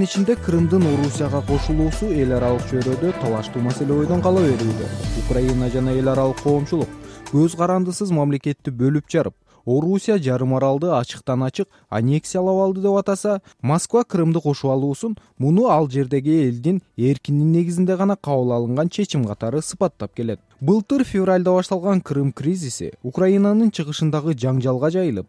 ичинде Крымдын Орусияга кошулуусу эл аралык чөйрөдө талаштуу маселе бойдон кала берүүдө. Украина жана эл аралык коомчулук көз карандысыз мамлекетти бөлүп жарып, Орусия жарым аралды ачыктан ачык аннексиялап алды деп атаса, Москва Крымды кошуп алуусун муну ал жердеги элдин эркинин негизинде гана кабыл алынган чечим катары сыпаттап келет. Былтыр февралда башталган Крым кризиси Украинанын чыгышындагы жаңжалга жайылып,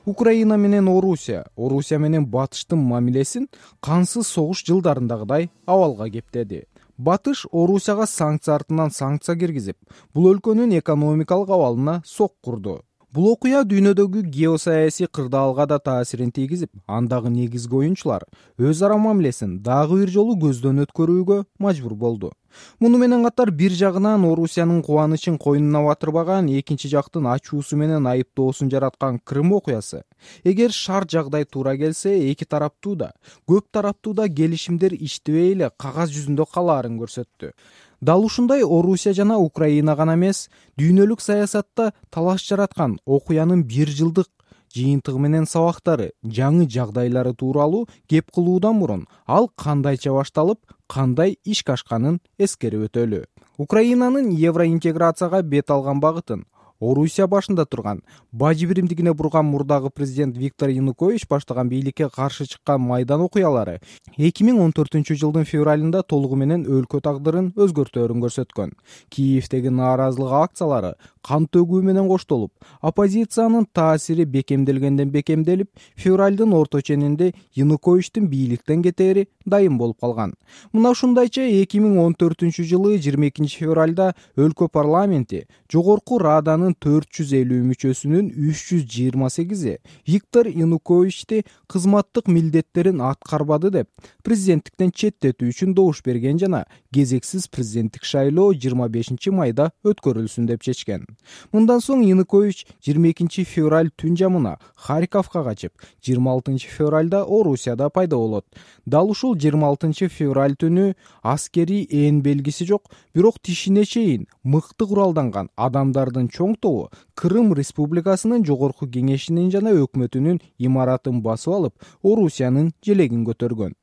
Украина менен Орусия менен Батыштын мамилесин кансыз согуш жылдарындагыдай абалга кептеди. Батыш Орусияга санкция артынан санкция киргизип, бул өлкөнүн экономикалык абалына сок курду. Бул окуя дүйнөдөгү геосаясий кырдаалга да таасирин тийгизип, андагы негизги оюнчулар өз ара мамилесин дагы бир жолу көздөн өткөрүүгө мажбур болду. Муну менен катар бир жагынан Орусиянын кубанычын койнуна батырбаган, экинчи жактын ачуусу менен айыптоосун жараткан Крым окуясы, эгер шарт жагдай туура келсе, эки тараптуу да, көп тараптуу да келишимдер иштебей эле кагаз жүзүндө калаарын көрсөттү. Дал ушундай Орусия жана Украина гана эмес, дүйнөлүк саясатта талаш жараткан окуянын бир жылдык жыйынтыгы менен сабактары, жаңы жагдайлары тууралуу кеп кылуудан мурун ал кандайча башталып, кандай ишке ашканын эскерип өтөлү. Украинанын евроинтеграцияга бет алган багытын Орусия башында турган, бажы биримдигине бурган мурдагы президент Виктор Янукович баштаган бийликке каршы чыккан Майдан окуялары 2014-жылдын февралында толугу менен өлкө тагдырын өзгөртөөрүн көрсөткөн. Киевдеги нааразылык акциялары кан төгүү менен коштолуп, оппозициянын таасири бекемделгенден бекемделип, февралдын орто ченинде Януковичтин бийликтен кетери дайым болуп калган. Мына ушундайча 2014-жылы 22-февралда өлкө парламенти жогорку Раданын 450 мүчөсүнүн 328-и Виктор Януковичти кызматтык милдеттерин аткарбады деп президенттиктен четтетүү үчүн добуш берген жана кезексиз президенттик шайлоо 25 майда өткөрүлсүн деп чечкен. Мындан соң Янукович 22 февраль түн жамына Харьковго качып, 26 февралда Орусияда пайда болот. Дал ушул 26 февраль түнү аскерий ээн белгиси жок, бирок тишине чейин мыкты куралданган адамдардын чоң тобу Крым Республикасынын жогорку кеңешинин жана өкмөтүнүн имаратын басып алып, Орусиянын желегин көтөргөн.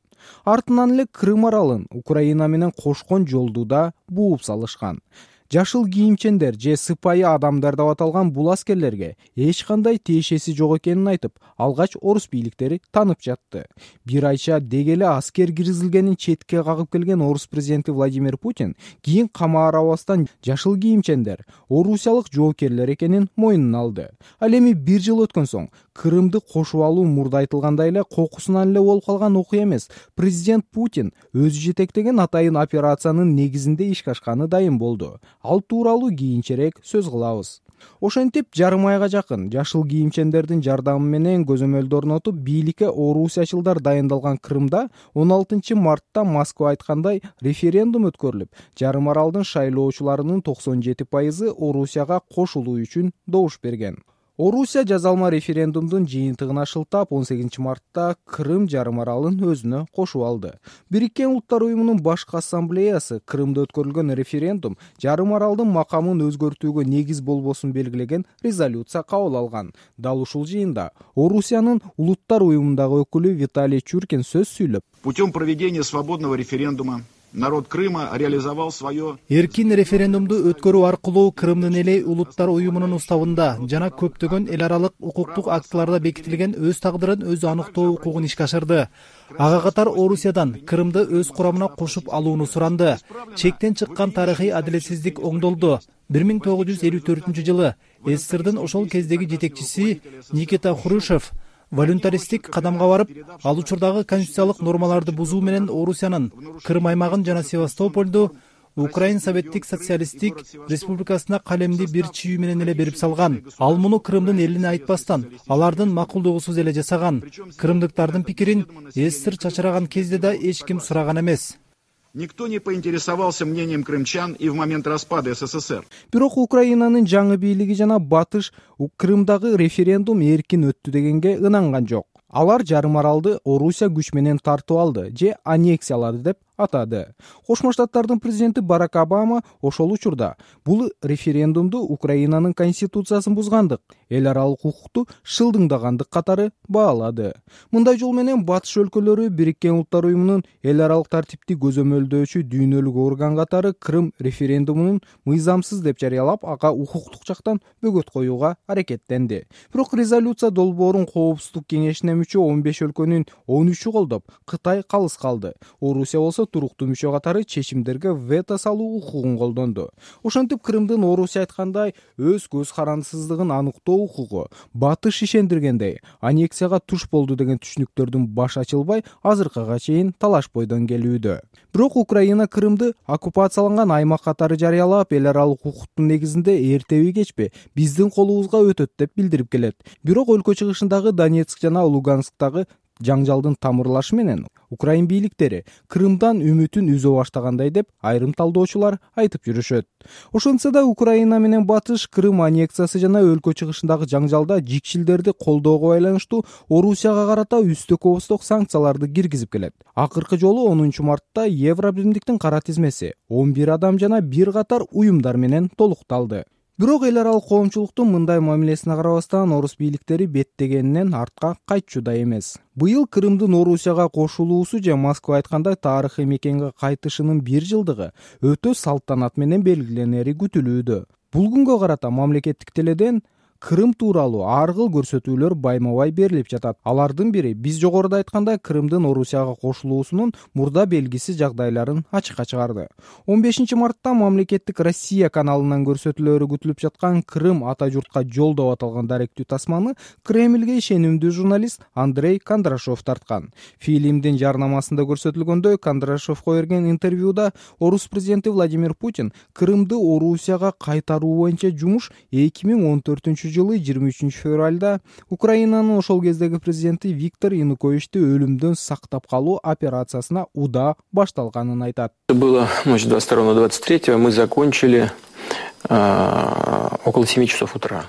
Артынан эле Крым аралын Украина менен кошкон жолду да бууп салышкан. Жашыл кийимчендер же сыпайы адамдар деп аталган бул аскерлерге эч кандай тиешеси жок экенин айтып, алгач орус бийликтери танып жатты. Бир айча деги эле аскер киргизилгенин четке кагып келген орус президенти Владимир Путин кийин камаарабастан жашыл кийимчендер орусиялык жоокерлер экенин мойнуна алды. Ал эми бир жыл өткөн соң Крымды кошуп алуу мурда айтылгандай эле кокусунан эле болуп калган окуя эмес. Президент Путин өзү жетектеген атайын операциянын негизинде ишке ашканы дайым болду. Ал тууралуу кийинчерээк сөз кылабыз. Ошентип, жарым айга жакын жашыл кийимчендердин жардамы менен көзөмөлдү орнотуп, бийликке орусиячылдар дайындалган Крымда 16 мартта Москва айткандай референдум өткөрүлүп, жарым аралдын шайлоочуларынын 97% Орусияга кошулуу үчүн добуш берген. Орусия жазалма референдумдун жыйынтыгына шылтап 18 мартта Крым жарым аралын өзүнө кошуп алды. Бириккен Улуттар уюмунун башкы ассамблеясы Крымда өткөрүлгөн референдум жарым аралдын макамын өзгөртүүгө негиз болбосун белгилеген резолюция кабыл алган. Дал ушул жыйында Орусиянын Улуттар уюмундагы өкүлү Виталий Чуркин сөз сүйлөп, путем проведения свободного референдума народ Крыма реализовал свое. Эркин референдумду өткөрүү аркылуу Крымдын эли Улуттар уюмунун уставында жана көптөгөн эл аралык укуктук актыларда бекитилген өз тагдырын өзү аныктоо укугун ишке ашырды. Ага катар Орусиядан Крымды өз курамына кошуп алууну суранды. Чектен чыккан тарыхый адилетсиздик оңдолду. 1954-жылы СССРдын ошол кездеги жетекчиси Никита Хрущев волюнтаристик кадамга барып, ал учурдагы конституциялык нормаларды бузуу менен Орусиянын Крым аймагын жана Севастопольду Украин Советтик социалисттик республикасына калемди бир чүйүү менен эле берип салган. Ал муну Крымдын элине айтпастан, алардын макулдугусуз эле жасаган. Крымдыктардын пикирин СССР чачыраган кезде да эч ким сураган эмес. Никто не поинтересовался мнением крымчан и в момент распада СССР. Бирок Украинанын жаңы бийлиги жана Батыш Крымдагы референдум эркин өттү дегенге ынанган жок. Алар жарым аралды Орусия күч менен тартып алды же аннексиялады деп атады. Кошмо Штаттардын президенти Барак Обама ошол учурда бул референдумду Украинанын конституциясын бузгандык, эл аралык укукту шылдыңдагандык катары баалады. Мындай жол менен батыш өлкөлөрү Бириккен Улуттар уюмунун эл аралык тартипти көзөмөлдөөчү дүйнөлүк орган катары Крым референдумунун мыйзамсыз деп жарыялап, ага укуктук жактан бөгөт коюуга аракеттенди. Бирок резолюция долбоорун Коопсуздук кеңешине мүчө 15 өлкөнүн 13-ü колдоп, Кытай калыс калды. Орусия болсо туруктуу мүчө катары чечимдерге вето салуу укугун колдонду. Ошентип Крымдын Орусия айткандай өз көз карандысыздыгын аныктоо укугу батыш ишендиргендей аннексияга туш болду деген түшүнүктөрдүн баш ачылбай азыркыга чейин талаш бойдон келүүдө. Бирок Украина Крымды оккупацияланган аймак катары жарыялап, эл аралык укуктун негизинде эртеби кечпи биздин колубузга өтөт деп билдирип келет. Бирок өлкө чыгышындагы Донецк жана Лугансктагы жаңжалдын тамырлашы менен Украин бийликтери Крымдан үмүтүн үзө баштагандай деп айрым талдоочулар айтып жүрүшөт. Ошентсе да Украина менен батыш Крым аннексиясы жана өлкө чыгышындагы жаңжалда жикшилдерди колдоого байланыштуу Орусияга карата үстө-көбөстөк санкцияларды киргизип келет. Акыркы жолу 10 мартта Евробиримдиктин кара тизмеси 11 адам жана бир катар уюмдар менен толукталды. Бирок эл аралык коомчулуктун мындай мамилесине карабастан орус бийликтери беттегенинен артка кайтчу да эмес. Быйыл Крымдын Орусияга кошулуусу же Москва айткандай тарыхый мекенге кайтышынын 1 жылдыгы өтө салтанат менен белгиленери күтүлүүдө. Бул күнгө карата мамлекеттик теледен Крым тууралуу ар кыл көрсөтүүлөр байма-бай берилип жатат. Алардын бири биз жогоруда айткандай Крымдын Орусияга кошулуусунун мурда белгисиз жагдайларын ачыкка чыгарды. 15 мартта мамлекеттик Россия каналынан көрсөтүүлөрү күтүлүп жаткан Крым ата журтка жол деп аталган даректүү тасманы Кремльге ишенимдүү журналист Андрей Кондрашов тарткан. Фильмдин жарнамасында көрсөтүлгөндөй, Кондрашовго берген интервьюда орус президенти Владимир Путин Крымды Орусияга кайтаруу боюнча жумуш 2014 жылы 23 февралда Украинанын ошол кездеги президенти Виктор Януковичти өлүмдөн сактап калуу операциясына удаа башталганын айтат. Было ночь 22-23, мы закончили около 7 часов утра.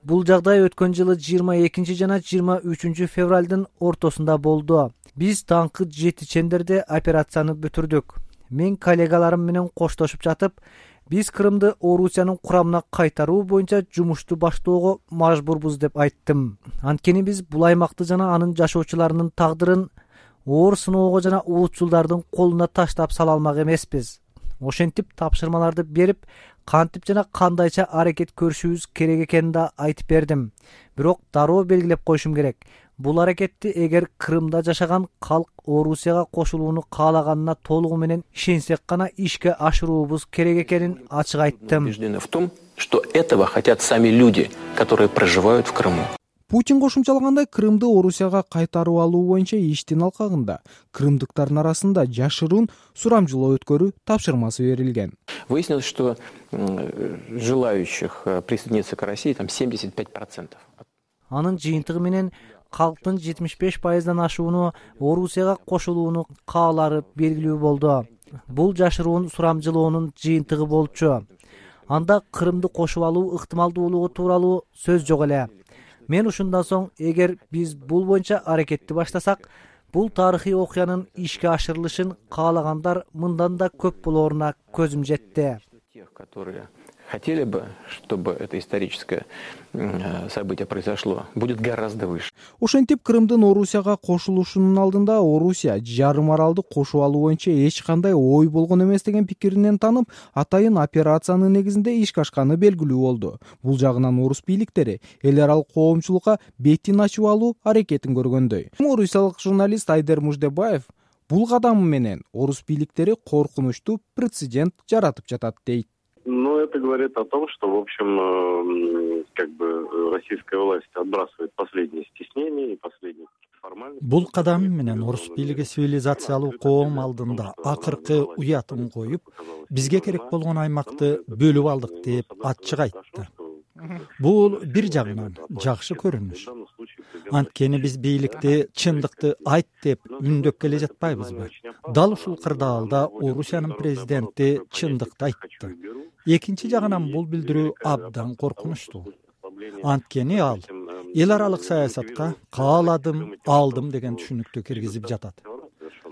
Бул жагдай өткөн жылы 22 жана 23 февралдын ортосунда болду. Биз таңкы 7 чендерде операцияны бүтүрдүк. Мен коллегаларым менен коштошуп жатып, биз Крымды Орусиянын курамына кайтаруу боюнча жумушту баштоого мажбурбуз деп айттым. Анткени биз бул аймакты жана анын жашоочуларынын тагдырын оор сыноого жана улутчулдардын колуна таштап сала алмак эмеспиз. Ошентип тапшырмаларды берип, кантип жана кандайча аракет көрүшүбүз керек экенин да айтып бердим. Бирок дароо белгилеп коюшум керек. Бул аракетти эгер Крымда жашаган калк Орусияга кошулууну каалаганына толугу менен ишенсек гана ишке ашыруубуз керек экенин ачык айттым. Убеждены в том, что этого хотят сами люди, которые проживают в Крыму. Путин кошумчалагандай, Крымды Орусияга кайтарып алуу боюнча иштин алкагында крымдыктардын арасында жашыруун сурамжылоо өткөрүү тапшырмасы берилген. Выяснилось, что желающих присоединиться к России там 75%. Анын жыйынтыгы менен калктын 75%дан ашууну Орусияга кошулууну каалары белгилүү болду. Бул жашыруун сурамжылоонун жыйынтыгы болчу. Анда Крымды кошуп алуу ыктымалдуулугу тууралуу сөз жок эле. Мен ушундан соң, эгер биз бул боюнча аракетти баштасак, бул тарыхый окуянын ишке ашырылышын каалагандар мындан да көп болооруна көзүм жетти. Тех, которые хотели бы, чтобы это историческое событие произошло, будет гораздо выше. Ошентип Крымдын Орусияга кошулушунун алдында Орусия жарым аралды кошуп алуу боюнча эч кандай ой болгон эмес деген пикиринен танып, атайын операциянын негизинде ишке ашканы белгилүү болду. Бул жагынан орус бийликтери эл аралык коомчулукка бетин ачып алуу аракетин көргөндөй. Орусиялык журналист Айдер Муждебаев бул кадамы менен орус бийликтери коркунучтуу прецедент жаратып жатат дейт. Ну, это говорит о том, что, в общем, как бы российская власть отбрасывает последние стеснения и последние формальности. Бул кадам менен орус бийлиги цивилизациялуу коом алдында акыркы уятын коюп, бизге керек болгон аймакты бөлүп алдык деп ачык айтты. Бул бир жагынан жакшы көрүнүш. Анткени биз бийликти чындыкты айт деп үндөп келе жатпайбызбы? Дал ушул кырдаалда Орусиянын президенти чындыкты айтты. Экинчи жагынан бул билдирүү абдан коркунучтуу. Анткени ал эл аралык саясатка кааладым, алдым деген түшүнүктү киргизип жатат.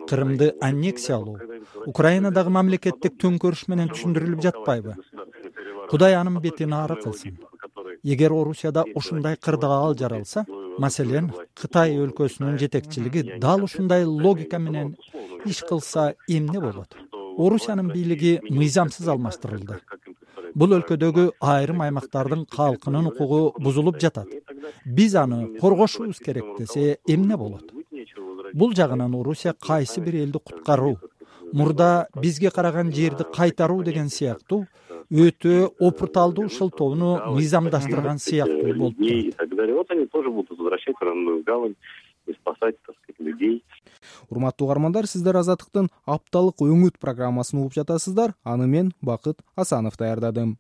Кырымды аннексиялоо Украинадагы мамлекеттик төңкөрүш менен түшүндүрүлүп жатпайбы? Кудай анын бетин ары кылсын. Эгер Орусияда ушундай кырдаал жаралса, маселен, Кытай өлкөсүнүн жетекчилиги дал ушундай логика менен иш кылса эмне болот? Орусиянын бийлиги мыйзамсыз алмаштырылды. Бул өлкөдөгү айрым аймактардын калкынын укугу бузулуп жатат. Биз аны коргошубуз керек десе эмне болот? Бул жагынан Орусия кайсы бир элди куткаруу, мурда бизге караган жерди кайтаруу деген сыяктуу өтө опурталдуу шылтоону мыйзамдаштырган сыяктуу болуп турат. Вот они тоже будут возвращать в родную гавань и спасать, так сказать, людей. Урматтуу угармандар, сиздер Азаттыктын апталык өңүт программасын угуп жатасыздар. Аны мен Бакыт Асанов даярдадым.